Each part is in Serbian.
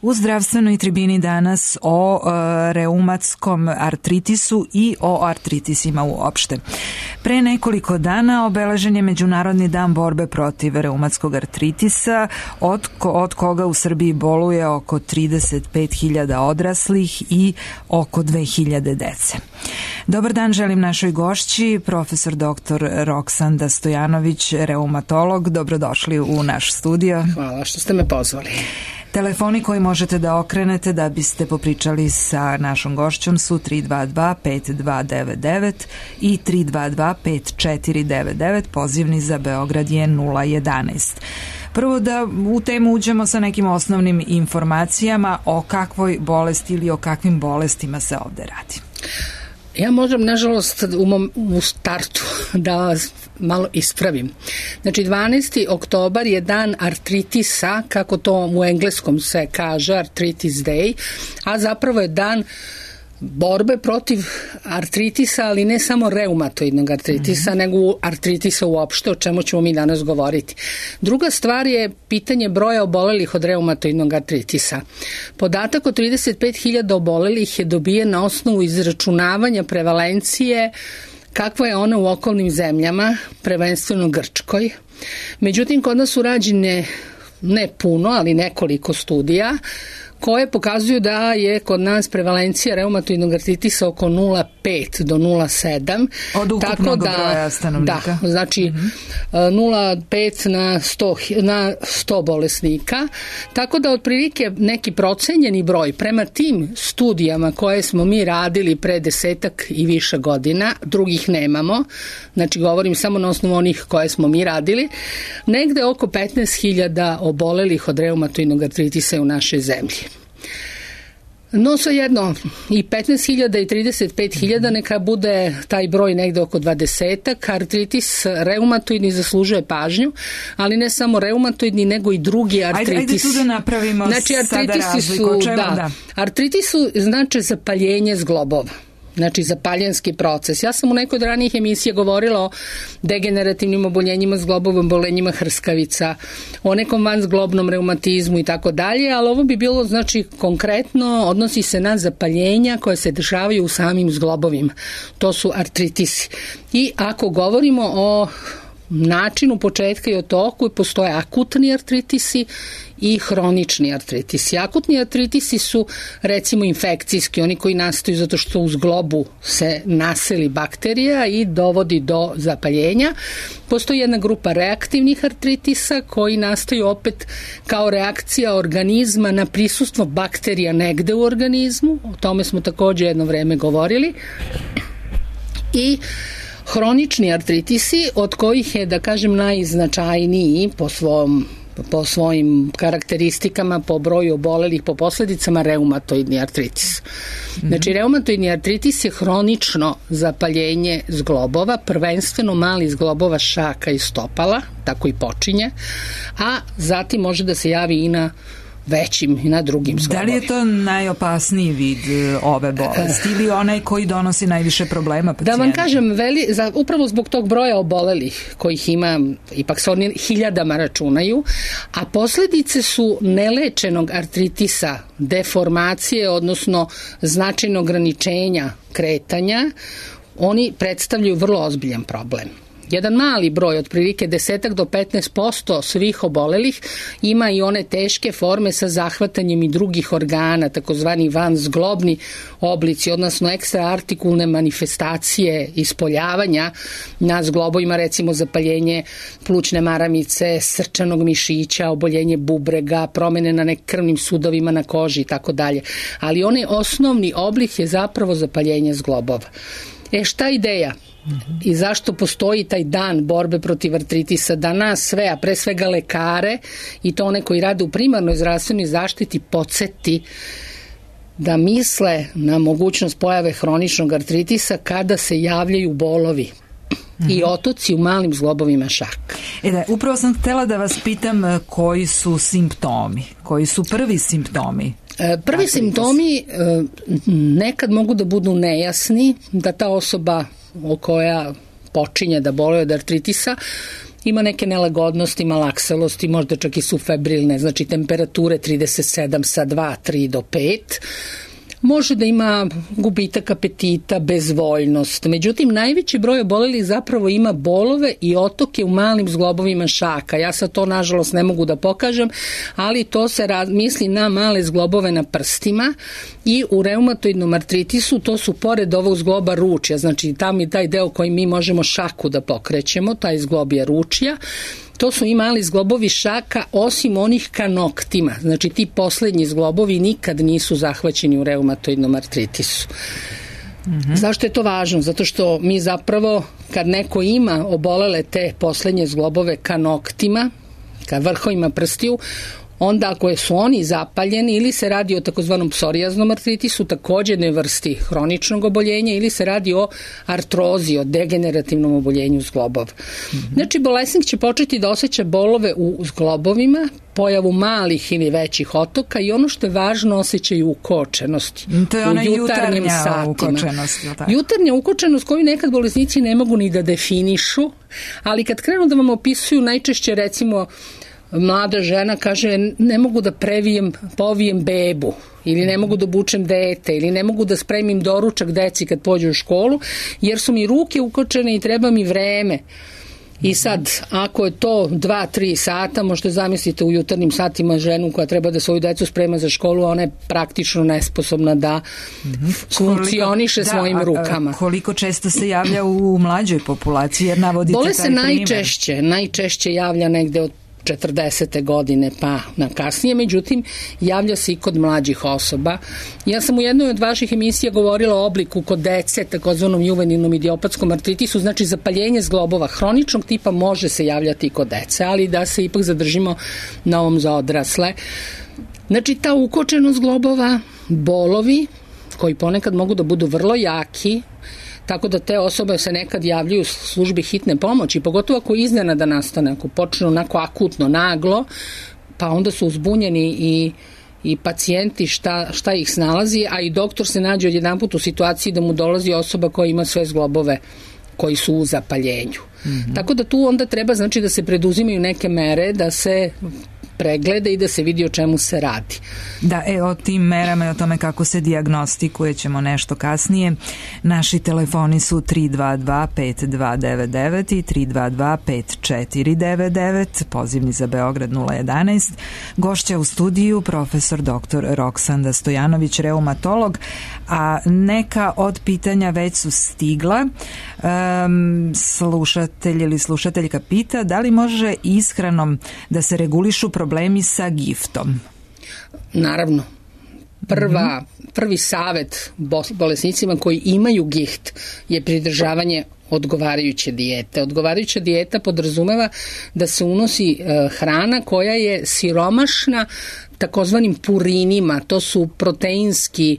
U zdravstvenoj tribini danas o reumatskom artritisu i o artritisima uopšte. Pre nekoliko dana obeležen je Međunarodni dan borbe protiv reumatskog artritisa, od koga u Srbiji boluje oko 35.000 odraslih i oko 2.000 dece. Dobar dan želim našoj gošći, profesor dr. Roksanda Stojanović, reumatolog. Dobrodošli u naš studio. Hvala što ste me pozvali. Telefoni koji možete da okrenete da biste popričali sa našom gošćom su 322-5299 i 322-5499, pozivni za Beograd je 011. Prvo da u temu uđemo sa nekim osnovnim informacijama o kakvoj bolesti ili o kakvim bolestima se ovde radi. Ja možem, nažalost, u startu da vas malo ispravim. Znači, 12. oktobar je dan artritisa, kako to u engleskom se kaže, Arthritis Day, a zapravo je dan borbe protiv artritisa, ali ne samo reumatoidnog artritisa, nego artritisa uopšte, o čemu ćemo mi danas govoriti. Druga stvar je pitanje broja obolelih od reumatoidnog artritisa. Podatak o 35.000 obolelih je dobijen na osnovu izračunavanja prevalencije kakva je ona u okolnim zemljama, prvenstveno Grčkoj. Međutim, kod nas su rađene ne puno, ali nekoliko studija koje pokazuju da je kod nas prevalencija reumatoidnog artritisa oko 0,5 do 0,7. Od ukupnog broja stanovnika. Da, znači 0,5 na 100 bolesnika. Tako da otprilike neki procenjeni broj prema tim studijama koje smo mi radili pre 10 i više godina, drugih nemamo, znači govorim samo na osnovu onih koje smo mi radili, negde oko 15.000 obolelih od reumatoidnog artritisa u našoj zemlji. No svejedno, i 15.000 i 35.000 neka bude taj broj negde oko 20. Artritis reumatoidni zaslužuje pažnju, ali ne samo reumatoidni, nego i drugi artritis. Ajde tu da napravimo sada razliku. Artritis su znači zapaljenje zglobova. Znači zapaljenski proces. Ja sam u nekoj od ranijih emisija govorila o degenerativnim oboljenjima zglobova, oboljenjima hrskavica, o nekom vanzglobnom reumatizmu i tako dalje, ali ovo bi bilo znači konkretno, odnosi se na zapaljenja koje se dešavaju u samim zglobovima. To su artritisi. I ako govorimo o načinu početka i o toku, postoje akutni artritisi i hronični artritisi. Akutni artritisi su recimo infekcijski, oni koji nastaju zato što u zglobu se naseli bakterija i dovodi do zapaljenja. Postoji jedna grupa reaktivnih artritisa koji nastaju opet kao reakcija organizma na prisustvo bakterija negde u organizmu. O tome smo takođe jedno vreme govorili. I hronični artritisi, od kojih je, da kažem, najznačajniji po svojim karakteristikama, po broju obolelih, po posledicama reumatoidni artritis. Znači, reumatoidni artritis je hronično zapaljenje zglobova, prvenstveno malih zglobova šaka i stopala, tako i počinje, a zatim može da se javi i na većim i na drugim zglobovima. Da li je to najopasniji vid ove bolesti ili onaj koji donosi najviše problema pacijentu? Da vam kažem, upravo zbog tog broja obolelih kojih ima, ipak se oni hiljadama računaju, a posledice su nelečenog artritisa, deformacije, odnosno značajnog ograničenja kretanja, oni predstavljaju vrlo ozbiljan problem. Jedan mali broj, otprilike 10 do 15% svih obolelih ima i one teške forme sa zahvatanjem i drugih organa, takozvani vanzglobni oblici, odnosno ekstraartikulne manifestacije ispoljavanja na zglobovima, recimo zapaljenje plućne maramice, srčanog mišića, oboljenje bubrega, promene na krvnim sudovima na koži i tako dalje. Ali onaj osnovni oblik je zapravo zapaljenje zglobova. Šta je ideja? I zašto postoji taj dan borbe protiv artritisa, da nas sve, a pre svega lekare i to one koji rade u primarnoj zdravstvenoj zaštiti podsjeti da misle na mogućnost pojave hroničnog artritisa kada se javljaju bolovi i otoci u malim zglobovima šaka. Upravo sam htela da vas pitam koji su simptomi, koji su prvi simptomi. Prvi simptomi nekad mogu da budu nejasni, da ta osoba koja počinje da boluje od artritisa ima neke nelagodnosti, malakselosti, možda čak i su febrilne, znači temperature 37 sa 2, 3 do 5. Može da ima gubitak apetita, bezvoljnost. Međutim, najveći broj obolelih zapravo ima bolove i otoke u malim zglobovima šaka. Ja sad to, nažalost, ne mogu da pokažem, ali to se misli na male zglobove na prstima i u reumatoidnom artritisu to su pored ovog zgloba ručja, znači tam je taj deo koji mi možemo šaku da pokrećemo, taj zglob je ručja. To su i mali zglobovi šaka, osim onih ka noktima. Znači ti poslednji zglobovi nikad nisu zahvaćeni u reumatoidnom artritisu. Zašto je to važno? Zato što mi zapravo, kad neko ima obolele te poslednje zglobove ka noktima, ka vrhovima prstiju, onda ako su oni zapaljeni ili se radi o takozvanom psorijaznom artritisu, takođe jednoj vrsti hroničnog oboljenja, ili se radi o artrozi, o degenerativnom oboljenju zglobova. Znači, bolesnik će početi da osjeća bolove u zglobovima, pojavu malih ili većih otoka i ono što je važno, osjećaju ukočenosti. To je ona jutarnja ukočenost. Jutarnja ukočenost koju nekad bolesnici ne mogu ni da definišu, ali kad krenu da vam opisuju, najčešće recimo mlada žena kaže ne mogu da povijem bebu ili ne mogu da obučem dete ili ne mogu da spremim doručak deci kad pođu u školu jer su mi ruke ukočene i treba mi vreme. I sad, ako je to 2-3 sata, možete zamislite u jutarnjim satima ženu koja treba da svoju decu sprema za školu, ona je praktično nesposobna da funkcioniše svojim rukama. Koliko često se javlja u mlađoj populaciji, jer navodite taj primjer? Bole se najčešće javlja negde od 40. godine pa na kasnije, međutim javlja se i kod mlađih osoba. Ja sam u jednoj od vaših emisija govorila o obliku kod dece, takozvanom juvenilnom idiopatskom artritisu, znači zapaljenje zglobova hroničnog tipa može se javljati i kod dece, ali da se ipak zadržimo na ovom za odrasle. Znači ta ukočenost zglobova, bolovi koji ponekad mogu da budu vrlo jaki, tako da te osobe se nekad javljaju u službi hitne pomoći, pogotovo ako iznenada nastane, ako počne onako akutno, naglo, pa onda su uzbunjeni i pacijenti šta ih snalazi, a i doktor se nađe odjedanput u situaciji da mu dolazi osoba koja ima sve zglobove koji su u zapaljenju. Tako da tu onda treba znači da se preduzimaju neke mere, da se pregleda i da se vidi o čemu se radi. Da, o tim merama i o tome kako se dijagnostikuje ćemo nešto kasnije. Naši telefoni su 322-5299 i 322-5499, pozivni za Beograd 011. Gošća u studiju profesor dr. Roksanda Stojanović, reumatolog, a neka od pitanja već su stigla. Slušatelj ili slušateljka pita da li može ishranom da se regulišu problemi sa giftom? Naravno. Prvi savet bolesnicima koji imaju gift je pridržavanje odgovarajuće dijete. Odgovarajuća dijeta podrazumeva da se unosi hrana koja je siromašna takozvanim purinima, to su proteinski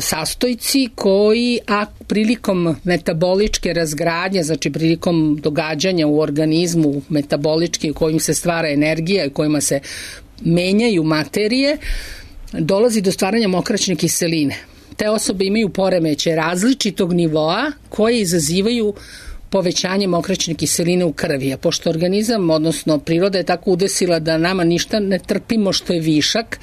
sastojci koji prilikom metaboličke razgradnje, znači prilikom događanja u organizmu metabolički u kojim se stvara energija i kojima se menjaju materije, dolazi do stvaranja mokraćne kiseline. Te osobe imaju poremeće različitog nivoa koje izazivaju povećanje mokraćne kiseline u krvi, a pošto organizam, odnosno priroda je tako udesila da nama ništa ne trpimo što je višak,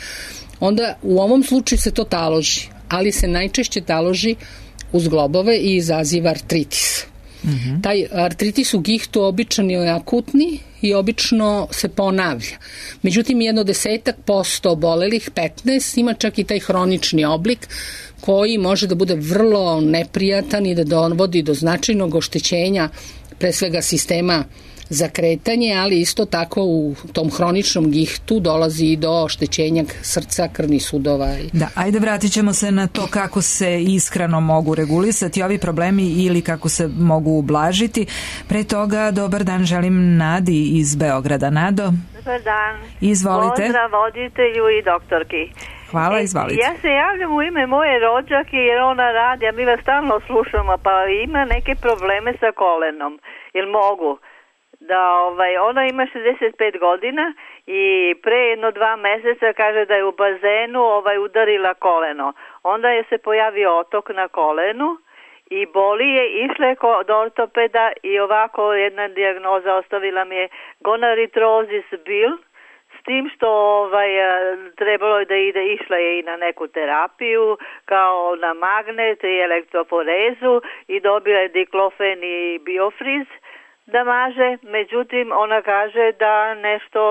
onda u ovom slučaju se to taloži, ali se najčešće taloži uz zglobove i izaziva artritis. Taj artritis u gihtu običan je akutni i obično se ponavlja. Međutim, 10% obolelih, 15, ima čak i taj hronični oblik koji može da bude vrlo neprijatan i da dovodi do značajnog oštećenja pre svega sistema za kretanje, ali isto tako u tom hroničnom gihtu dolazi i do oštećenja srca, krvnih sudova. Da, ajde vratit ćemo se na to kako se ishranom mogu regulisati ovi problemi ili kako se mogu ublažiti. Pre toga, dobar dan, želim Nadi iz Beograda. Nado? Dobar dan. Izvolite. Pozdrav voditelju i doktorki. Hvala, izvolite. Ja se javljam u ime moje rođake jer ona radi, a mi vas stalno slušamo, pa ima neke probleme sa kolenom. Jel mogu? Da ona ima 65 godina i pre 1-2 meseca kaže da je u bazenu udarila koleno. Onda je se pojavio otok na kolenu i boli je, išla je kod ortopeda i ovako jedna dijagnoza ostavila mi je gonaritrozis bil, s tim što trebalo je da išla je i na neku terapiju kao na magnet i elektroforezu i dobila je diklofen i biofriz da maže, međutim ona kaže da nešto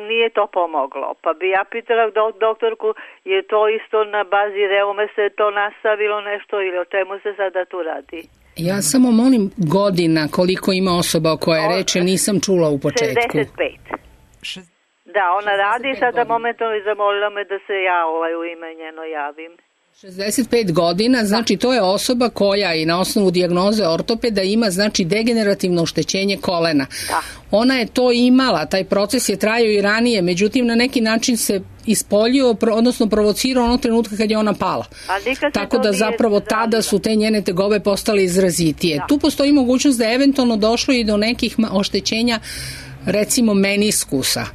nije to pomoglo. Pa bi ja pitala doktorku, je to isto na bazi reume se to nastavilo nešto ili o čemu se sada tu radi? Ja samo molim godina koliko ima osoba o koje reče, nisam čula u početku. 65. Da, ona radi sada momentalno i zamolila me da se ja u ime njeno javim. 65 godina, znači to je osoba koja i na osnovu dijagnoze ortopeda ima znači degenerativno oštećenje kolena. Da. Ona je to imala, taj proces je trajao i ranije, međutim na neki način se ispoljio, odnosno provocirao onog trenutka kad je ona pala. Tako da zapravo tada su te njene tegobe postale izrazitije. Da. Tu postoji mogućnost da je eventualno došlo i do nekih oštećenja, recimo meniskusa.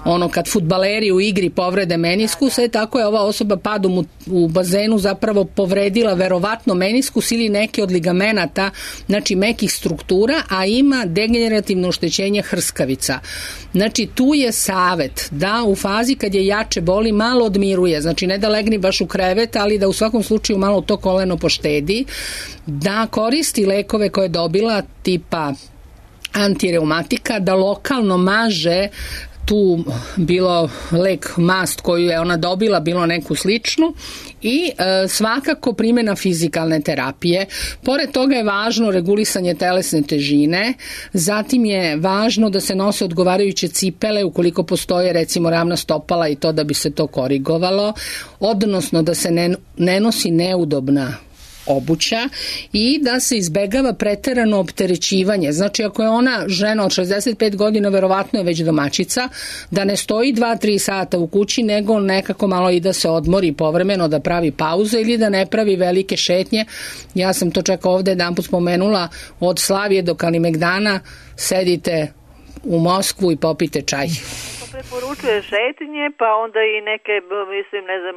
Ono kad fudbaleri u igri povrede meniskusa, tako je ova osoba padom u bazenu zapravo povredila verovatno meniskus ili neke od ligamenata, znači mekih struktura, a ima degenerativno oštećenje hrskavica. Znači tu je savet da u fazi kad je jače boli malo odmiruje, znači ne da legne baš u krevet, ali da u svakom slučaju malo to koleno poštedi, da koristi lekove koje je dobila tipa antireumatika, da lokalno maže tu bilo lek mast koju je ona dobila, bilo neku sličnu i svakako primjena fizikalne terapije. Pored toga je važno regulisanje telesne težine, zatim je važno da se nose odgovarajuće cipele ukoliko postoje recimo ravna stopala i to da bi se to korigovalo, odnosno da se ne nosi neudobna obuća i da se izbegava preterano opterećivanje. Znači ako je ona žena od 65 godina, verovatno je već domaćica, da ne stoji 2-3 sata u kući, nego nekako malo i da se odmori povremeno, da pravi pauze ili da ne pravi velike šetnje. Ja sam to čak ovde jedanput spomenula, od Slavije do Kalimegdana sedite u Moskvu i popite čaj. Preporučuje šetnje, pa onda i neke, mislim, ne znam,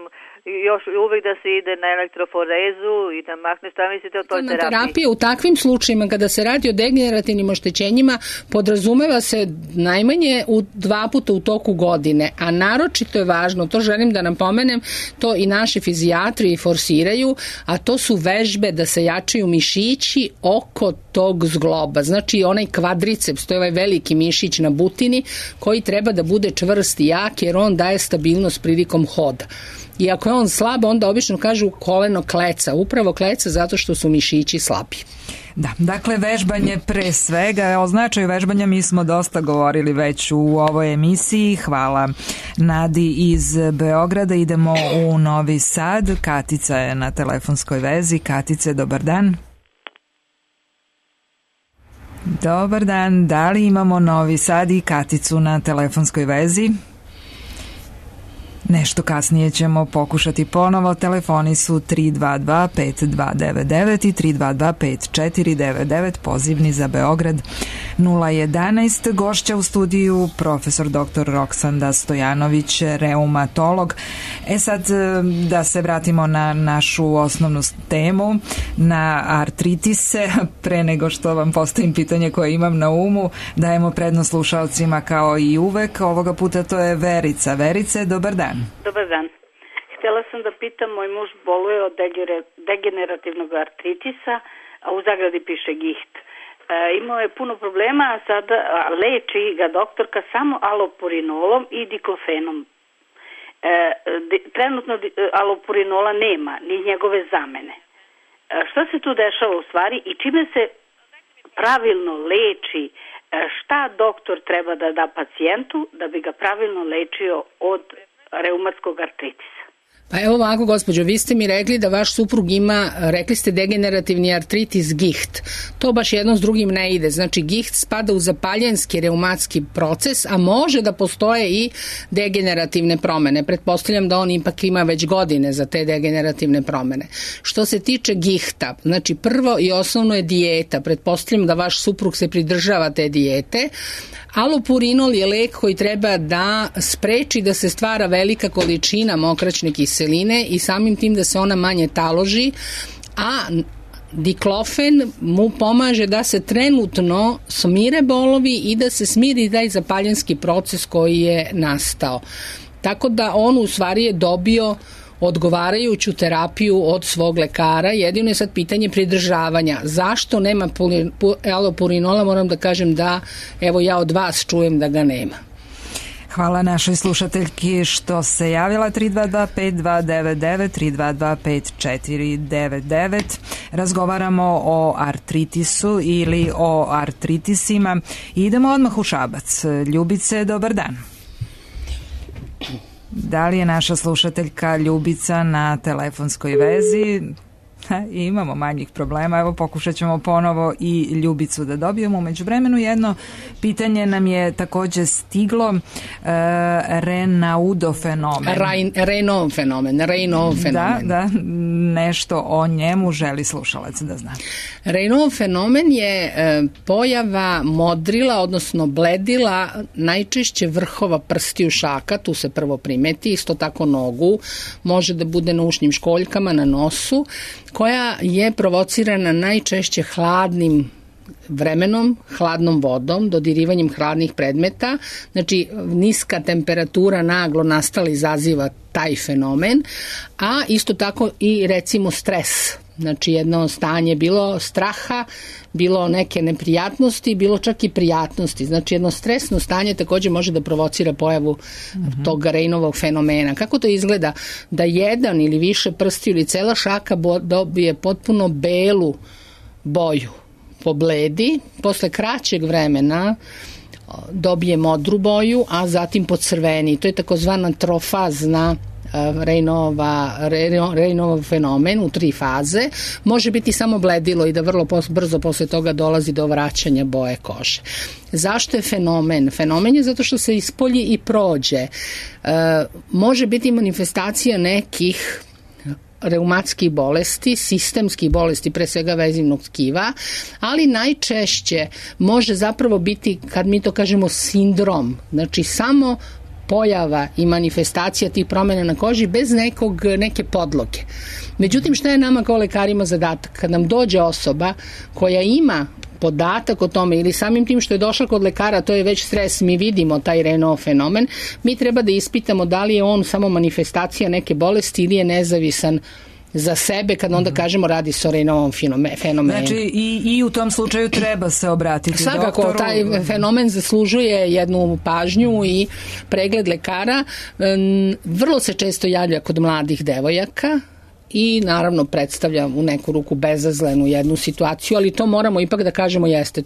još uvijek da se ide na elektroforezu i da mahne, šta mislite o toj terapiji? Terapija u takvim slučajima kada se radi o degenerativnim oštećenjima podrazumeva se najmanje 2 puta u toku godine, a naročito je važno, to želim da napomenem, to i naši fizijatri forsiraju, a to su vežbe da se jačaju mišići oko tog zgloba, znači onaj kvadriceps, to je ovaj veliki mišić na butini koji treba da bude čvrst i jak jer on daje stabilnost prilikom hoda. I ako je on slab, onda obično kažu koleno kleca, upravo kleca zato što su mišići slabi. Da, dakle vežbanje pre svega, o značaju vežbanja mi smo dosta govorili već u ovoj emisiji. Hvala Nadi iz Beograda. Idemo u Novi Sad. Katica je na telefonskoj vezi. Katice, dobar dan. Dobar dan, da li imamo Novi Sad i Katicu na telefonskoj vezi? Nešto kasnije ćemo pokušati ponovo. Telefoni su 322-5299 i 322-5499, pozivni za Beograd 011. Gošća u studiju profesor dr. Roksanda Stojanović, reumatolog. Sad da se vratimo na našu osnovnu temu, na artritise. Pre nego što vam postavim pitanje koje imam na umu, dajemo prednost slušalcima kao i uvek. Ovoga puta to je Verica. Verice, dobar dan. Dobar dan. Htjela sam da pitam, moj muž boluje od degenerativnog artritisa, a u zagradi piše giht. Imao je puno problema, a sada leči ga doktorka samo alopurinolom i diklofenom. Trenutno alopurinola nema, ni njegove zamene. Šta se tu dešava u stvari i čime se pravilno leči, šta doktor treba da da pacijentu da bi ga pravilno lečio od reumatskog artritisa? Pa evo ovako, gospođo, vi ste mi rekli da vaš suprug ima, rekli ste degenerativni artritis giht. To baš jedno s drugim ne ide. Znači giht spada u zapaljenski reumatski proces, a može da postoje i degenerativne promene. Pretpostavljam da on ipak ima već godine za te degenerativne promene. Što se tiče gihta, znači prvo i osnovno je dijeta. Pretpostavljam da vaš suprug se pridržava te dijete. Alopurinol je lek koji treba da spreči da se stvara velika količina mokraćne kiseline i samim tim da se ona manje taloži, a diklofen mu pomaže da se trenutno smire bolovi i da se smiri taj zapaljenski proces koji je nastao. Tako da on u stvari je dobio odgovarajuću terapiju od svog lekara. Jedino je sad pitanje pridržavanja. Zašto nema alopurinola? Moram da kažem da, evo ja od vas čujem da ga nema. Hvala našoj slušateljki što se javila 322-5299, 322-5499. Razgovaramo o artritisu ili o artritisima. Idemo odmah u Šabac. Ljubice, dobar dan. Da li je naša slušateljka Ljubica na telefonskoj vezi? Imamo manjih problema, evo pokušat ćemo ponovo i Ljubicu da dobijemo. Umeđu vremenu jedno pitanje nam je takođe stiglo, Raynaudov fenomen. Raynaudov fenomen. Da, nešto o njemu želi slušalac da zna. Raynaudov fenomen je pojava modrila, odnosno bledila, najčešće vrhova prstiju šaka, tu se prvo primeti, isto tako nogu, može da bude na ušnim školjkama, na nosu, koja je provocirana najčešće hladnim vremenom, hladnom vodom, dodirivanjem hladnih predmeta. Znači, niska temperatura naglo nastala izaziva taj fenomen, a isto tako i recimo stres. Znači, jedno stanje bilo straha, bilo neke neprijatnosti, bilo čak i prijatnosti. Znači, jedno stresno stanje takođe može da provocira pojavu tog Raynaudovog fenomena. Kako to izgleda? Da jedan ili više prstiju ili cela šaka dobije potpuno belu boju, pobledi, posle kraćeg vremena dobije modru boju, a zatim pocrveni. To je takozvana trofazna Raynaudov fenomen u 3 faze. Može biti samo bledilo i da vrlo brzo posle toga dolazi do vraćanja boje kože. Zašto je fenomen? Fenomen je zato što se ispolji i prođe. Može biti manifestacija nekih reumatskih bolesti, sistemskih bolesti, pre svega vezivnog tkiva, ali najčešće može zapravo biti, kad mi to kažemo, sindrom, znači samo pojava i manifestacija tih promjena na koži bez neke podloge. Međutim, šta je nama kao lekarima zadatak? Kad nam dođe osoba koja ima podatak o tome ili samim tim što je došla kod lekara, to je već stres, mi vidimo taj Raynaudov fenomen, mi treba da ispitamo da li je on samo manifestacija neke bolesti ili je nezavisan za sebe, kad onda kažemo radi se o Raynaudov fenomenu. Znači i u tom slučaju treba se obratiti doktoru. Svakako, taj fenomen zaslužuje jednu pažnju i pregled lekara. Vrlo se često javlja kod mladih devojaka i naravno predstavlja u neku ruku bezazlenu jednu situaciju, ali to moramo ipak da kažemo jeste,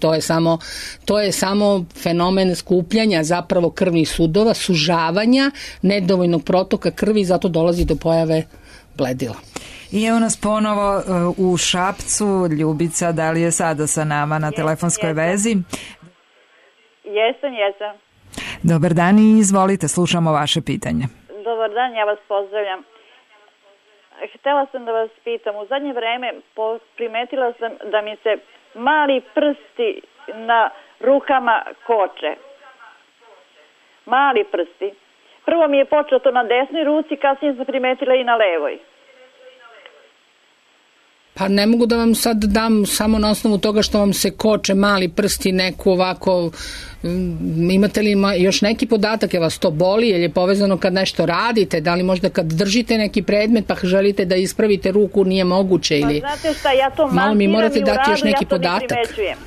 to je samo fenomen skupljanja zapravo krvnih sudova, sužavanja, nedovoljnog protoka krvi, zato dolazi do pojave bledila. I evo nas ponovo u Šapcu. Ljubica, da li je sada sa nama na telefonskoj vezi? Jesam. Dobar dan i izvolite, slušamo vaše pitanje. Dobar dan, ja vas pozdravljam. Htela sam da vas pitam, u zadnje vreme primetila sam da mi se mali prsti na rukama koče. Mali prsti. Prvo mi je počelo to na desnoj ruci, kasnije sam primetila i na levoj. Pa ne mogu da vam sad dam samo na osnovu toga što vam se koče mali prsti neku ovako, imate li još neki podatak, je vas to boli, je li je povezano kad nešto radite, da li možda kad držite neki predmet pa želite da ispravite ruku nije moguće ili... Pa znate šta, ja to malo mi morate dati još neki podatak. Ne primećujem.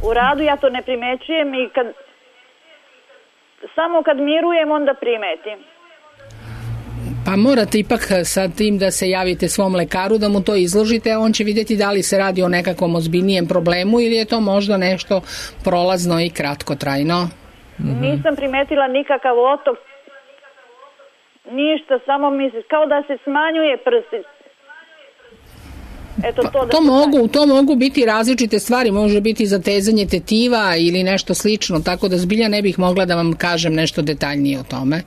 U radu ja to ne primećujem i samo kad mirujem onda primetim. Pa morate ipak sa tim da se javite svom lekaru, da mu to izložite, a on će vidjeti da li se radi o nekakvom ozbiljnijem problemu ili je to možda nešto prolazno i kratkotrajno. Nisam primetila nikakav otok, ništa, samo misli, kao da se smanjuje prsti. Eto, to mogu biti različite stvari, može biti zatezanje tetiva ili nešto slično, tako da zbilja ne bih mogla da vam kažem nešto detaljnije o tome.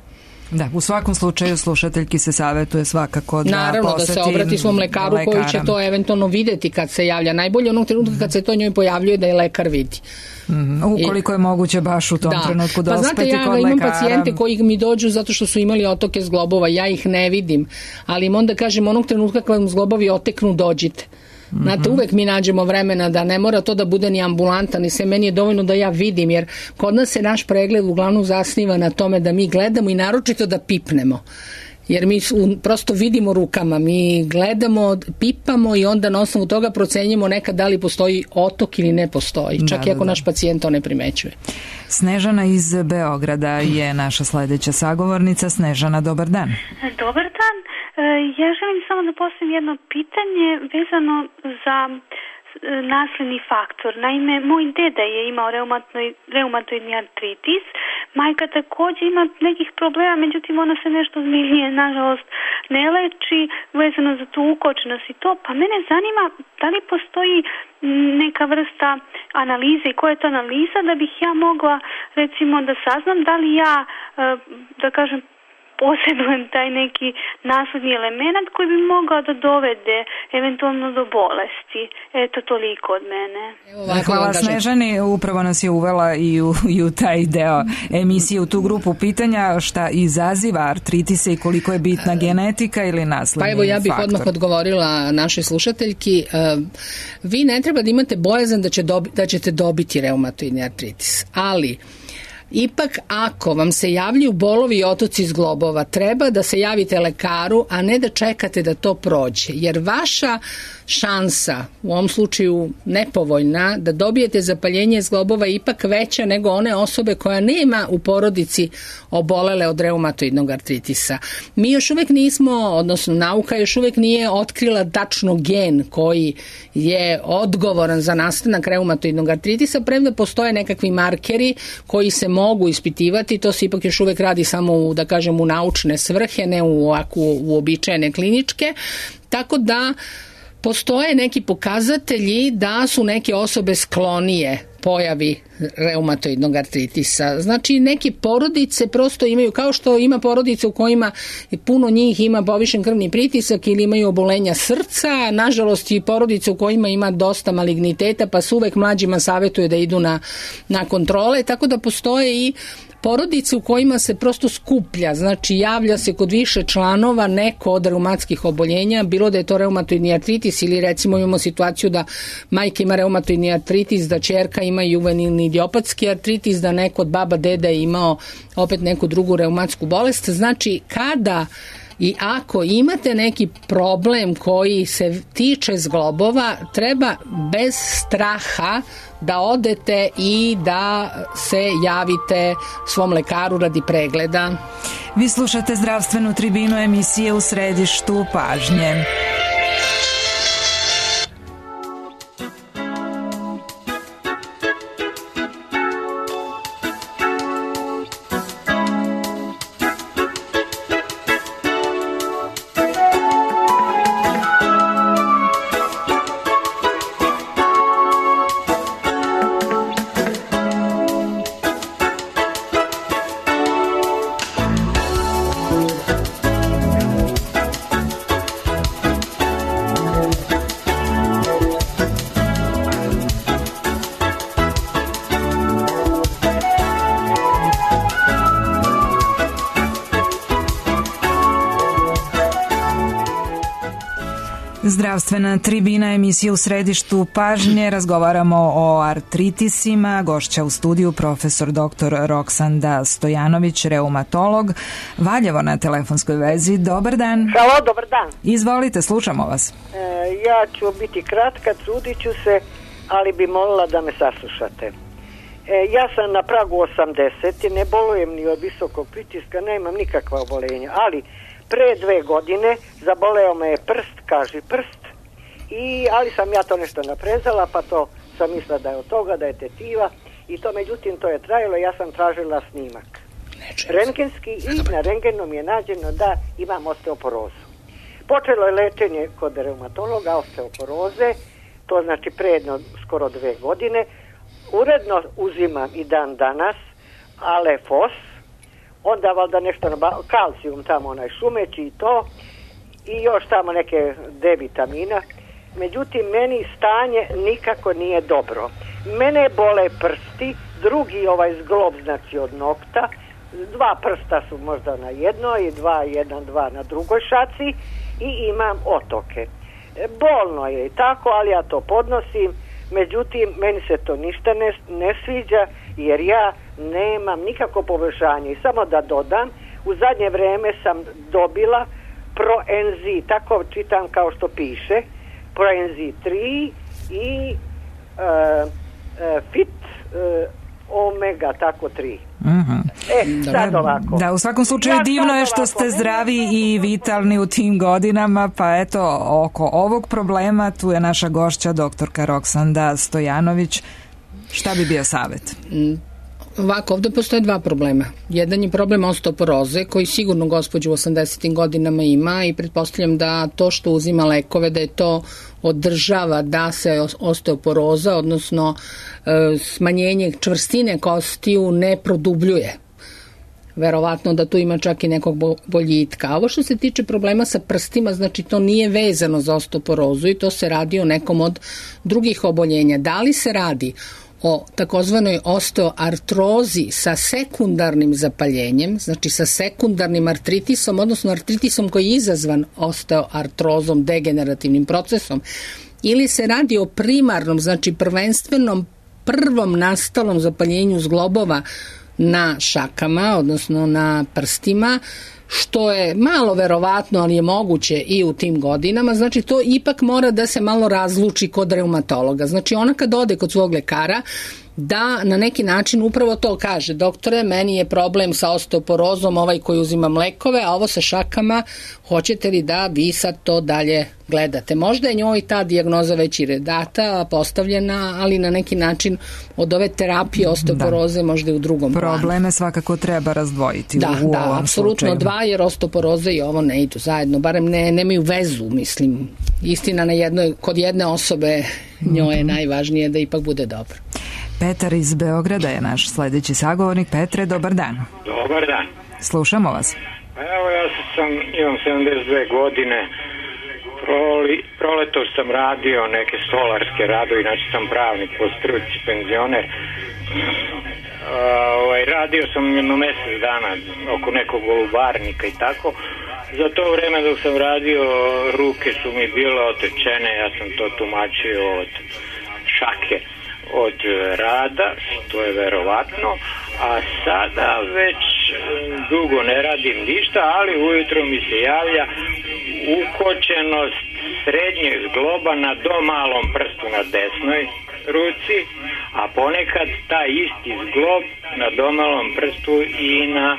Da, u svakom slučaju slušateljki se savjetuje svakako da naravno poseti da se obrati svom lekaru koji će to eventualno videti kad se javlja. Najbolje onog trenutka kad se to njoj pojavljuje da je lekar vidi. Ukoliko je moguće baš u tom trenutku dospeti kod lekara. Pa znate, ja imam pacijente koji mi dođu zato što su imali otoke zglobova, ja ih ne vidim, ali im onda kažem onog trenutka kad vam zglobovi oteknu dođite. Znate, uvek mi nađemo vremena da ne mora to da bude ni ambulanta, ni sve, meni je dovoljno da ja vidim, jer kod nas se naš pregled uglavnom zasniva na tome da mi gledamo i naročito da pipnemo. Jer mi prosto vidimo rukama, mi gledamo, pipamo i onda na osnovu toga procenjujemo nekad da li postoji otok ili ne postoji, čak i ako naš pacijent to ne primećuje. Snežana iz Beograda je naša sledeća sagovornica. Snežana, dobar dan. Dobar dan. Ja želim samo da postavim jedno pitanje vezano za nasledni faktor. Naime, moj deda je imao reumatoidni artritis, majka takođe ima nekih problema, međutim ona se nešto zmijenije, nažalost, ne leči vezano za tu ukočenost i to, pa mene zanima da li postoji neka vrsta analize i koja je to analiza da bih ja mogla recimo da saznam da li ja, da kažem, posjedujem taj neki nasledni element koji bi mogao da dovede eventualno do bolesti. Eto, toliko od mene. Hvala Snežani, upravo nas je uvela i u taj deo emisije, u tu grupu pitanja šta izaziva artritise i koliko je bitna genetika ili nasledni faktor. Pa evo, ja bih odmah odgovorila našoj slušateljki. Vi ne treba da imate bojazan da ćete dobiti reumatoidni artritis, ali ipak ako vam se javljaju bolovi i otoci zglobova, treba da se javite lekaru, a ne da čekate da to prođe. Jer vaša šansa, u ovom slučaju nepovoljna, da dobijete zapaljenje zglobova je ipak veća nego one osobe koja nema u porodici obolele od reumatoidnog artritisa. Mi još uvek nismo, odnosno nauka još uvek nije otkrila tačno gen koji je odgovoran za nastanak reumatoidnog artritisa, premda postoje nekakvi markeri koji se mogu ispitivati, to se ipak još uvek radi samo u naučne svrhe, ne u uobičajene kliničke, tako da postoje neki pokazatelji da su neke osobe sklonije pojavi reumatoidnog artritisa. Znači, neke porodice prosto imaju, kao što ima porodice u kojima puno njih ima povišen krvni pritisak ili imaju obolenja srca, nažalost i porodice u kojima ima dosta maligniteta, pa se uvek mlađima savjetuje da idu na kontrole, tako da postoje i porodice u kojima se prosto skuplja, znači javlja se kod više članova neko od reumatskih oboljenja, bilo da je to reumatoidni artritis ili recimo imamo situaciju da majka ima reumatoidni artritis, da ćerka ima juvenilni idiopatski artritis, da neko od baba, deda je imao opet neku drugu reumatsku bolest. Znači, kada i ako imate neki problem koji se tiče zglobova, treba bez straha da odete i da se javite svom lekaru radi pregleda. Vi slušate Zdravstvenu tribinu, emisije U središtu pažnje. Zdravstvena tribina, emisija U središtu pažnje. Razgovaramo o artritisima. Gošća u studiju profesor dr. Roksanda Stojanović, reumatolog. Valjevo na telefonskoj vezi. Dobar dan. Halo, dobar dan. Izvolite, slušamo vas. Ja ću biti kratka, trudit ću se, ali bi molila da me saslušate. Ja sam na pragu 80, ne bolujem ni od visokog pritiska, nemam nikakva obolenja, ali pre 2 godine zaboleo me je prst, kaži prst, ali sam ja to nešto naprezala, pa to sam mislila da je od toga, da je tetiva i to, međutim, to je trajalo, ja sam tražila snimak rentgenski i na rentgenu mi je nađeno da imam osteoporozu. Počelo je lečenje kod reumatologa osteoporoze, to znači pre skoro 2 godine, uredno uzimam i dan danas Alefos, onda valjda nešto kalcijum tamo, onaj šumeći i to, i još tamo neke D vitamina. Međutim, meni stanje nikako nije dobro. Mene bole prsti, drugi zglob, znači od nokta, 2 prsta su možda na jednoj i 2 na drugoj šaci i imam otoke. bolno je i tako, ali ja to podnosim. Međutim, meni se to ništa ne sviđa, jer ja nemam nikako poboljšanje. I samo da dodam, u zadnje vreme sam dobila Proenzi, tako čitam kao što piše, Proenzi 3 i Fit Omega, tako 3. Sad ovako. Da, u svakom slučaju divno je što ste zdravi i vitalni u tim godinama, pa eto, oko ovog problema tu je naša gošća doktorka Roksanda Stojanović. Šta bi bio savjet? Ovako, ovde postoje dva problema. Jedan je problem osteoporoze, koji sigurno gospođa u 80. godinama ima i pretpostavljam da to što uzima lekove, da je to održava da se osteoporoza, odnosno smanjenje čvrstine kostiju ne produbljuje. Verovatno da tu ima čak i nekog boljitka. A ovo što se tiče problema sa prstima, znači to nije vezano za osteoporozu i to se radi o nekom od drugih oboljenja. Da li se radi o takozvanoj osteoartrozi sa sekundarnim zapaljenjem, znači sa sekundarnim artritisom, odnosno artritisom koji je izazvan osteoartrozom, degenerativnim procesom, ili se radi o primarnom, znači prvenstvenom prvom nastalom zapaljenju zglobova na šakama, odnosno na prstima, što je malo verovatno, ali je moguće i u tim godinama, znači to ipak mora da se malo razluči kod reumatologa. Znači ona kad ode kod svog lekara, da na neki način upravo to kaže: doktore, meni je problem sa osteoporozom ovaj koji uzimam lekove, a ovo sa šakama, hoćete li da vi sad to dalje gledate? Možda je njoj ta dijagnoza već i data, postavljena, ali na neki način od ove terapije osteoporoze možda i u drugom planu. Probleme svakako treba razdvojiti u ovom apsolutno slučaju. Dva, jer osteoporoza i ovo ne idu zajedno, barem nemaju vezu, mislim. Istina kod jedne osobe njoj je najvažnije da ipak bude dobro. Petar iz Beograda je naš sledeći sagovornik. Petre, dobar dan. Dobar dan. Slušamo vas. Evo, ja imam 72 godine. Proleto sam radio neke stolarske radovi, znači sam pravnik po struci, penzioner. Radio sam jedno mesec dana oko nekog golubarnika i tako. Za to vreme dok sam radio, ruke su mi bile otečene, ja sam to tumačio od šake, od rada, što je verovatno, a sada već dugo ne radim ništa, ali ujutro mi se javlja ukočenost srednjeg zgloba na domalom prstu na desnoj ruci, a ponekad taj isti zglob na domalom prstu i na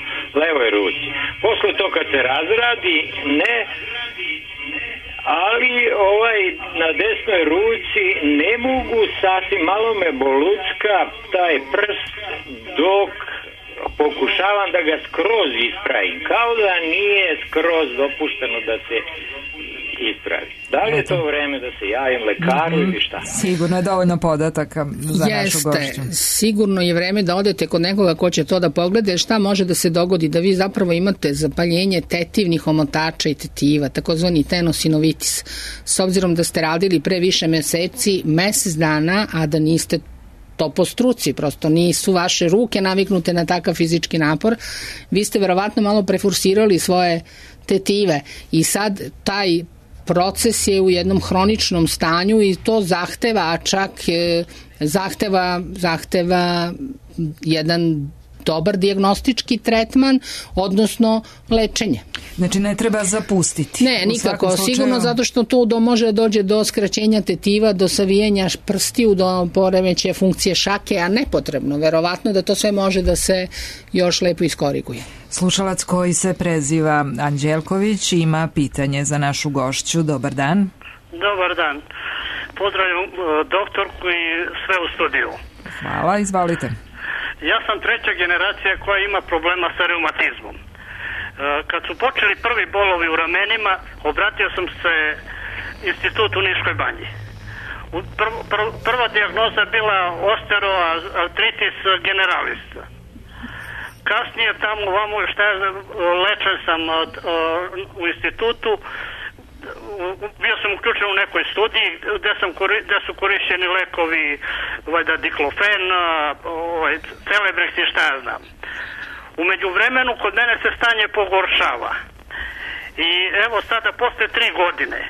levoj ruci. Posle to kad se razradi, ne, ali na desnoj ruci ne mogu sasvim, malo me bolucka taj prst dok pokušavam da ga skroz ispravim, kao da nije skroz dopušteno da se ispravi. Da li je to vreme da se javim lekaru ili šta? Sigurno je dovoljno podataka za našu gošću. Sigurno je vreme da odete kod nekoga ko će to da pogleda. Šta može da se dogodi? Da vi zapravo imate zapaljenje tetivnih omotača i tetiva, takozvani tenosinovitis. S obzirom da ste radili pre više meseci, mesec dana, a da niste to po struci, prosto nisu vaše ruke naviknute na takav fizički napor, vi ste verovatno malo preforsirali svoje tetive i sad taj proces je u jednom hroničnom stanju i to zahteva jedan dobar dijagnostički tretman, odnosno lečenje. Znači ne treba zapustiti. Ne, nikako, sigurno zato što tu može dođe do skraćenja tetiva, do savijanja prstiju, do poremećaja funkcije šake, a nepotrebno. Verovatno da to sve može da se još lepo iskoriguje. Slušalac koji se preziva Anđelković ima pitanje za našu gošću. Dobar dan. Dobar dan. Pozdravljam doktorku i sve u studiju. Hvala, izvalite. Ja sam treća generacija koja ima problema sa reumatizmom. Kad su počeli prvi bolovi u ramenima, obratio sam se institutu u Niškoj banji. Prva dijagnoza je bila osteoartritis generalis. Kasnije tamo ovamo lečen sam u institutu, bio sam uključen u nekoj studiji gde su korišćeni lekovi diklofen, Celebrex i šta ja znam. U međuvremenu kod mene se stanje pogoršava. I evo sada posle 3 godine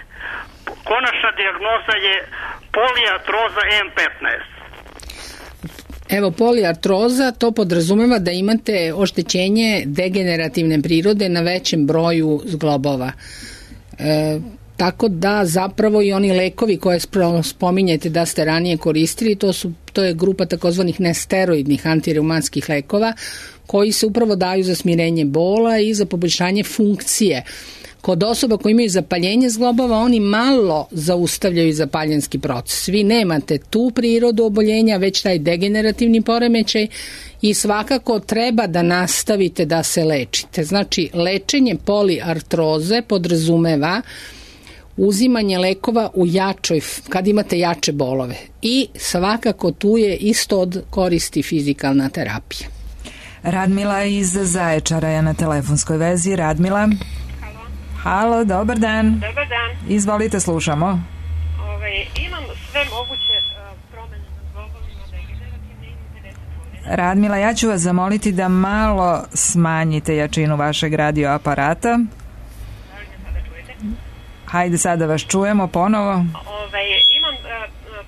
konačna dijagnoza je poliartroza M15. Evo, poliartroza, to podrazumeva da imate oštećenje degenerativne prirode na većem broju zglobova. Tako da zapravo i oni lekovi koje spominjete da ste ranije koristili, to je grupa takozvanih nesteroidnih antireumatskih lekova koji se upravo daju za smirenje bola i za poboljšanje funkcije. Kod osoba koji imaju zapaljenje zglobova, oni malo zaustavljaju zapaljenski proces. Vi nemate tu prirodu oboljenja, već taj degenerativni poremećaj i svakako treba da nastavite da se lečite. Znači, lečenje poliartroze podrazumeva uzimanje lekova u kad imate jače bolove. I svakako tu je isto od koristi fizikalna terapija. Radmila iz Zaječara je na telefonskoj vezi. Radmila? Halo, dobar dan. Dobar dan. Izvolite, slušamo. Imam sve moguće promene na zglobovima degenerativne, imam 50 godina. Radmila, ja ću vas zamoliti da malo smanjite jačinu vašeg radioaparata. Da li me sada čujete? Hajde, sada vas čujemo ponovo. Imam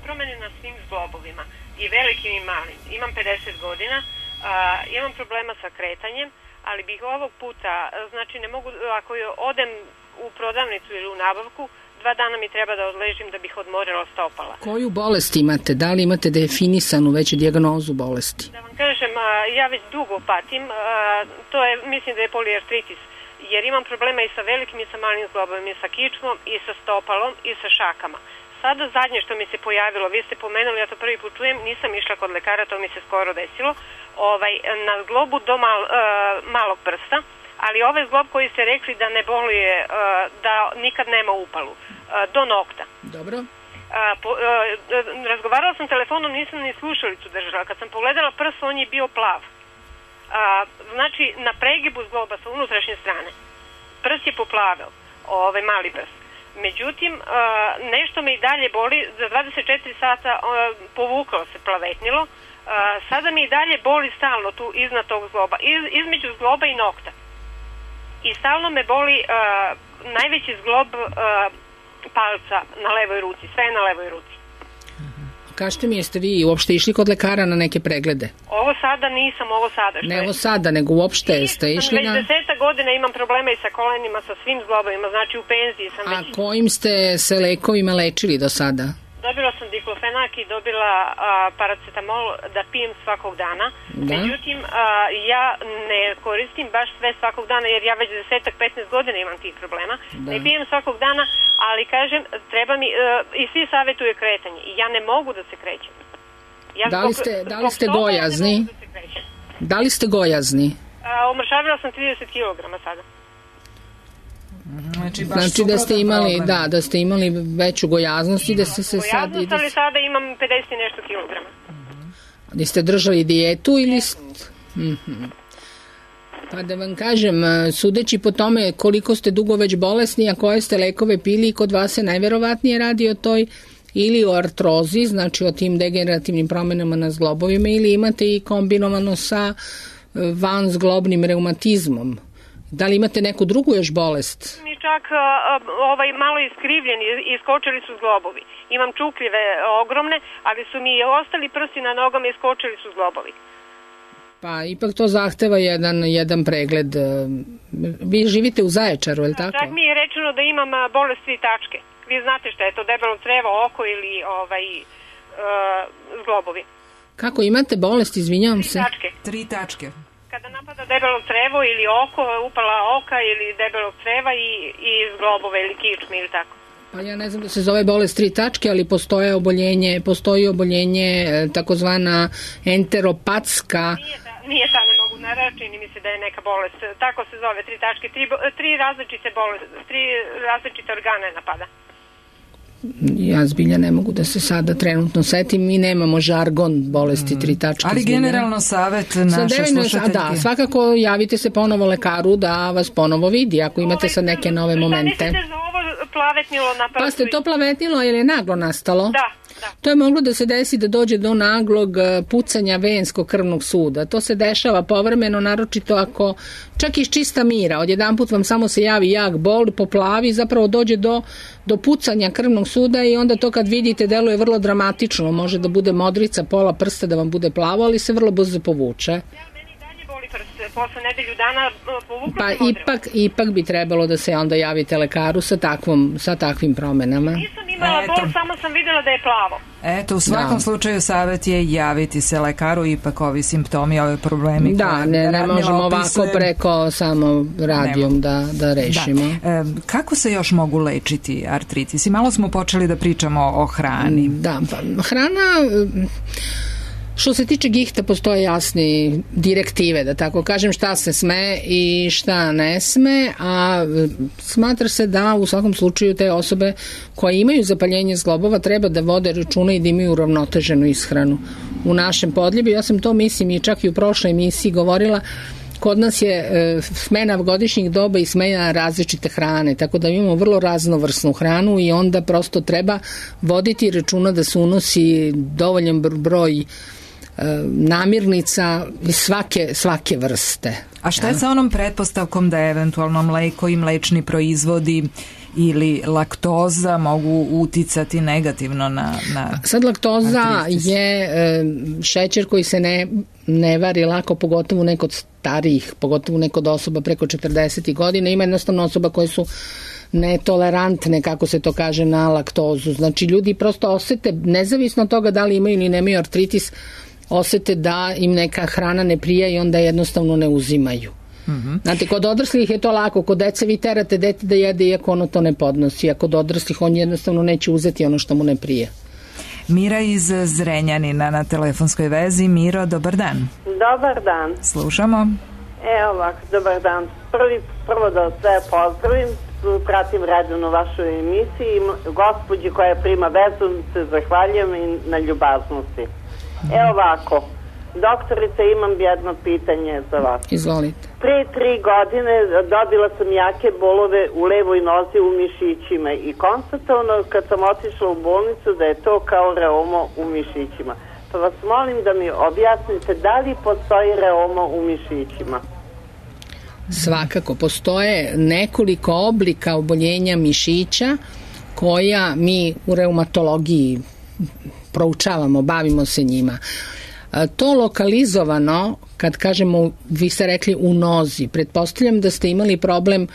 promene na svim zglobovima, i velikim i malim. Imam 50 godina, imam problema sa kretanjem, ali bih ovog puta, znači ne mogu, ako odem u prodavnicu ili u nabavku, 2 dana mi treba da odležim da bih odmorila stopala. Koju bolest imate? Da li imate definisanu već dijagnozu bolesti? Da vam kažem, ja već dugo patim, to je, mislim da je poliartritis, jer imam problema i sa velikim i sa malim zglobom, i sa kičmom, i sa stopalom, i sa šakama. Sada zadnje što mi se pojavilo, vi ste pomenuli, ja to prvi put čujem, nisam išla kod lekara, to mi se skoro desilo, na zglobu do malog prsta, ali ovaj zglob koji ste rekli da ne boluje, da nikad nema upalu, do nokta. Dobro. Razgovarala sam telefonom, nisam ni slušalicu držala. Kad sam pogledala prst, on je bio plav. Znači, na pregibu zgloba sa unutrašnje strane, prst je poplaveo, mali prst. Međutim, nešto me i dalje boli, za 24 sata povuklo se, plavetnilo, sada mi i dalje boli stalno tu iznad tog zgloba, između zgloba i nokta. I stalno me boli najveći zglob palca na levoj ruci, sve je na levoj ruci. Kažete mi, jeste vi uopšte išli kod lekara na neke preglede? Ovo sada nisam, ovo sada. Ne ovo sada, nego uopšte ste išli na... Već 10 godina imam problema i sa kolenima, sa svim zglobovima, znači u penziji sam već... A kojim ste se lekovima lečili do sada? Dobila sam diklofenak i dobila paracetamol da pijem svakog dana. Da. Međutim, ja ne koristim baš sve svakog dana, jer ja već 10-15 godina imam tih problema. Da. Ne pijem svakog dana, ali kažem, treba mi, i svi savjetuju kretanje. I ja ne mogu da se krećem. Da li ste gojazni? Da li ste gojazni? Omršavila sam 30 kg sada. Znači da ste imali, da ste imali veću gojaznost i da ste se sad... Gojaznost, ali sada imam 50 i nešto kilograma. Da ste držali dijetu ili... Pa da vam kažem, sudeći po tome koliko ste dugo već bolesni, a koje ste lekove pili, kod vas se najverovatnije radi o toj ili o artrozi, znači o tim degenerativnim promenama na zglobovima, ili imate i kombinovano sa vanzglobnim reumatizmom. Da li imate neku drugu još bolest? Mi čak malo iskrivljeni, iskočili su zglobovi. Imam čukljive ogromne, ali su mi ostali prsti na nogama i iskočili su zglobovi. Pa ipak to zahteva jedan pregled. Vi živite u Zaječaru, je li tako? Čak mi je rečeno da imam bolest 3 tačke. Vi znate šta je to, debelo crevo, oko ili zglobovi. Kako imate bolest, izvinjavam se? 3 tačke. 3 tačke. Kada napada debelo crevo ili oko, upala oka ili debelog creva i zglobove ili kičme ili tako. Pa ja ne znam da se zove bolest 3 tačke, ali postoji oboljenje takozvana enteropatska. Nije ta, ne mogu naravno, čini mi se da je neka bolest. Tako se zove 3 tačke, 3 različite bolesti, 3 različite organe napada. Ja zbilja ne mogu da se sada trenutno setim, mi nemamo žargon bolesti 3 tačke. Ali generalno savjet naše slušateljke. Da, svakako javite se ponovo lekaru da vas ponovo vidi ako imate sad neke nove momente. Šta mislite za ovo plavetnilo na prstu? Pa ste to plavetnilo ili je naglo nastalo? Da. To je moglo da se desi da dođe do naglog pucanja venskog krvnog suda. To se dešava povremeno, naročito ako čak iz čista mira, odjedanput vam samo se javi jak bol, poplavi, zapravo dođe do pucanja krvnog suda i onda to kad vidite deluje vrlo dramatično. Može da bude modrica pola prsta, da vam bude plavo, ali se vrlo brzo povuče. Posle nedelju dana povukla pa ipak bi trebalo da se onda javite lekaru sa takvim promenama. Nisam imala bol, samo sam videla da je plavo. Eto, u svakom slučaju savjet je javiti se lekaru, ipak ovi simptomi, ove problemi. Da, ne možemo ovako preko samo radijom da rešimo. Da. Kako se još mogu lečiti artritisi? Malo smo počeli da pričamo o hrani. Da, pa hrana... Što se tiče gihta, postoje jasni direktive, da tako kažem, šta se sme i šta ne sme, a smatra se da u svakom slučaju te osobe koje imaju zapaljenje zglobova treba da vode računa i da imaju uravnoteženu ishranu. U našem podljebi, ja sam to mislim i čak i u prošloj emisiji govorila, kod nas je smena godišnjih doba i smena različite hrane, tako da imamo vrlo raznovrsnu hranu i onda prosto treba voditi računa da se unosi dovoljan broj namirnica svake vrste. A šta je sa onom pretpostavkom da eventualno mleko i mlečni proizvodi ili laktoza mogu uticati negativno na Sad laktoza je šećer koji se ne vari lako, pogotovo nekod starijih, pogotovo nekod osoba preko 40 godina. Ima jednostavno osoba koje su netolerantne, kako se to kaže, na laktozu. Znači ljudi prosto osete, nezavisno od toga da li imaju ili nemaju artritis, osete da im neka hrana ne prija i onda jednostavno ne uzimaju. Znate, kod odraslih je to lako, kod dece vi terate dete da jede iako ono to ne podnosi, a kod odraslih on jednostavno neće uzeti ono što mu ne prije. Mira iz Zrenjanina na telefonskoj vezi. Miro, dobar dan. Dobar dan. Slušamo. Evo ovako, dobar dan. Prvo da sve pozdravim, pratim redovno vašu emisiju i gospođi koja prima vezu se zahvaljujem i na ljubaznosti. Evo ovako, doktorice, imam jedno pitanje za vas. Izvolite. Pre 3 godine dobila sam jake bolove u levoj nozi u mišićima i konstatovano kad sam otišla u bolnicu da je to kao reuma u mišićima. Pa vas molim da mi objasnite da li postoji reuma u mišićima? Svakako, postoje nekoliko oblika oboljenja mišića koja mi u reumatologiji proučavamo, bavimo se njima. To lokalizovano, kad kažemo, vi ste rekli u nozi, pretpostavljam da ste imali problem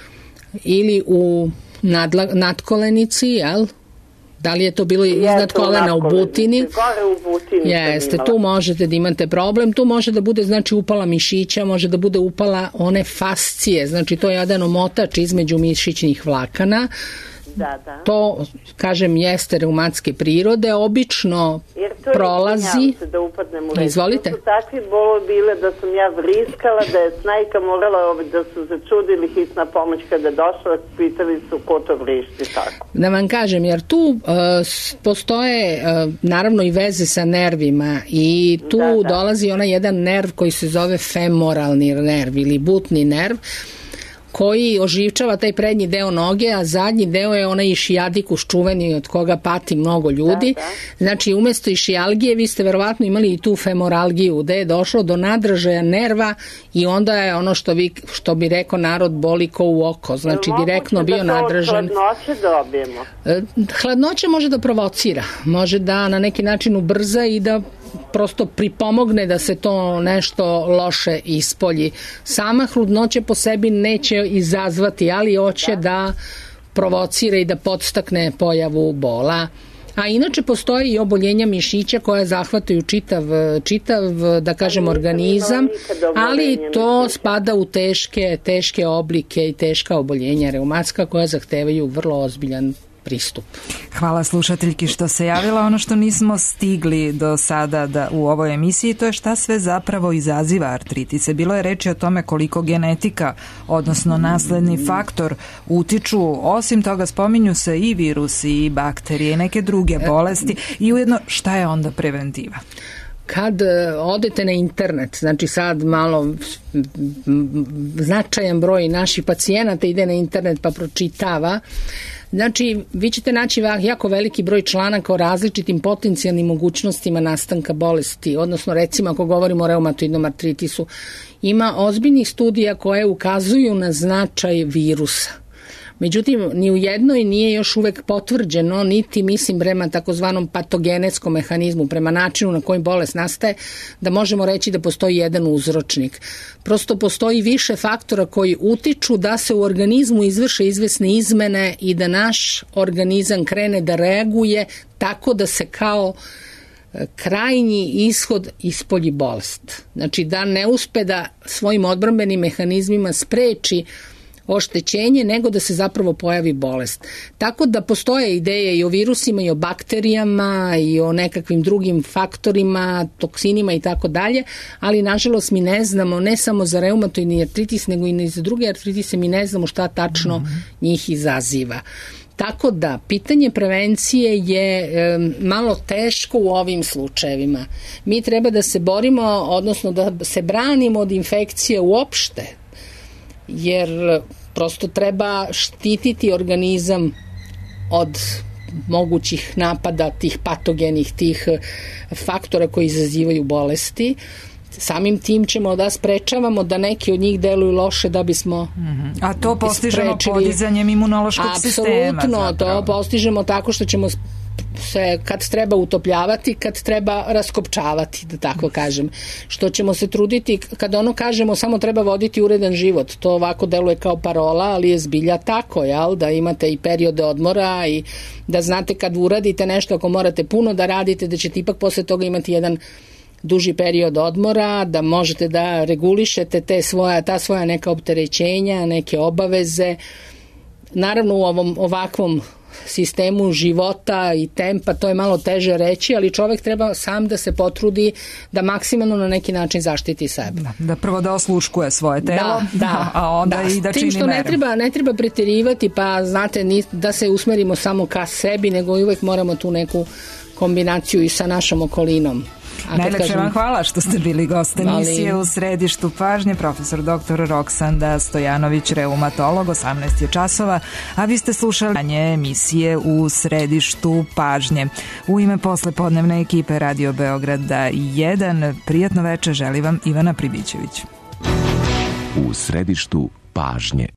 ili u nadkolenici, jel? Da li je to bilo iznad kolena u butini? Gore u butini. Jeste, tu možete da imate problem, tu može da bude znači upala mišića, može da bude upala one fascije, znači to je jedan omotač između mišićnih vlakana. Da. To, kažem, jeste reumatske prirode, obično prolazi. Da upadnem u reč. Izvolite. To su takvi bolovi bile da sam ja vriskala, da je snajka morala, da su začudili hitna pomoć kada je došla, pitali su ko to vrišti tako. Da vam kažem, jer tu postoje naravno i veze sa nervima i tu dolazi onaj jedan nerv koji se zove femoralni nerv ili butni nerv, koji oživčava taj prednji deo noge, a zadnji deo je onaj išiadikus čuveni od koga pati mnogo ljudi. Znači, umesto išijalgije vi ste verovatno imali i tu femoralgiju, gde je došlo do nadražaja nerva i onda je ono što bi rekao narod boli ko u oko. Znači, direktno bio nadražan. Hladnoće dobijemo? Hladnoće može da provocira, može da na neki način ubrza i da prosto pripomogne da se to nešto loše ispolji. Sama hladnoća po sebi neće izazvati, ali hoće da provocira i da podstakne pojavu bola. A inače postoji i oboljenja mišića koja zahvataju čitav da kažem, organizam, ali to spada u teške oblike i teška oboljenja reumatska koja zahtevaju vrlo ozbiljan pristup. Hvala slušateljki što se javila. Ono što nismo stigli do sada u ovoj emisiji, to je šta sve zapravo izaziva artritise. Bilo je reči o tome koliko genetika, odnosno nasledni faktor utiču. Osim toga spominju se i virusi i bakterije i neke druge bolesti i ujedno šta je onda preventiva? Kad odete na internet, znači sad malo značajan broj naših pacijenata ide na internet pa pročitava Znači, vi ćete naći jako veliki broj članaka o različitim potencijalnim mogućnostima nastanka bolesti, odnosno recimo ako govorimo o reumatoidnom artritisu, ima ozbiljnih studija koje ukazuju na značaj virusa. Međutim, ni u jednoj nije još uvek potvrđeno, niti mislim prema takozvanom patogenetskom mehanizmu, prema načinu na koji bolest nastaje, da možemo reći da postoji jedan uzročnik. Prosto postoji više faktora koji utiču da se u organizmu izvrše izvesne izmene i da naš organizam krene da reaguje tako da se kao krajnji ishod ispolji bolest. Znači da ne uspe da svojim odbrambenim mehanizmima spreči oštećenje, nego da se zapravo pojavi bolest. Tako da postoje ideje i o virusima, i o bakterijama, i o nekakvim drugim faktorima, toksinima i tako dalje, ali nažalost mi ne znamo, ne samo za reumatoidni artritis, nego i za druge artritise, mi ne znamo šta tačno njih izaziva. Tako da, pitanje prevencije je malo teško u ovim slučajevima. Mi treba da se borimo, odnosno da se branimo od infekcije uopšte, jer prosto treba štititi organizam od mogućih napada tih patogenih, tih faktora koji izazivaju bolesti. Samim tim ćemo da sprečavamo da neki od njih deluju loše da bismo A to postižemo podizanjem imunološkog sistema. Apsolutno, to postižemo tako što ćemo se kad treba utopljavati, kad treba raskopčavati, da tako kažem. Što ćemo se truditi, kad ono kažemo samo treba voditi uredan život, to ovako deluje kao parola, ali je zbilja tako, jel? Da imate i periode odmora i da znate kad uradite nešto, ako morate puno da radite, da ćete ipak posle toga imati jedan duži period odmora, da možete da regulišete ta svoja neka opterećenja, neke obaveze. Naravno u ovom ovakvom sistemu života i tempa, to je malo teže reći, ali čovek treba sam da se potrudi da maksimalno na neki način zaštiti sebe. Da prvo da osluškuje svoje telo, a onda i da čini tim što ne treba preterivati, pa znate, da se usmerimo samo ka sebi, nego uvek moramo tu neku kombinaciju i sa našom okolinom. Najlepše vam hvala što ste bili gost emisije U središtu pažnje, profesor dr. Roksanda Stojanović, reumatolog, 18 je časova, a vi ste slušali emisije U središtu pažnje. U ime poslepodnevne ekipe Radio Beograda 1, prijatno večer želi vam Ivana Pribićević. U središtu pažnje.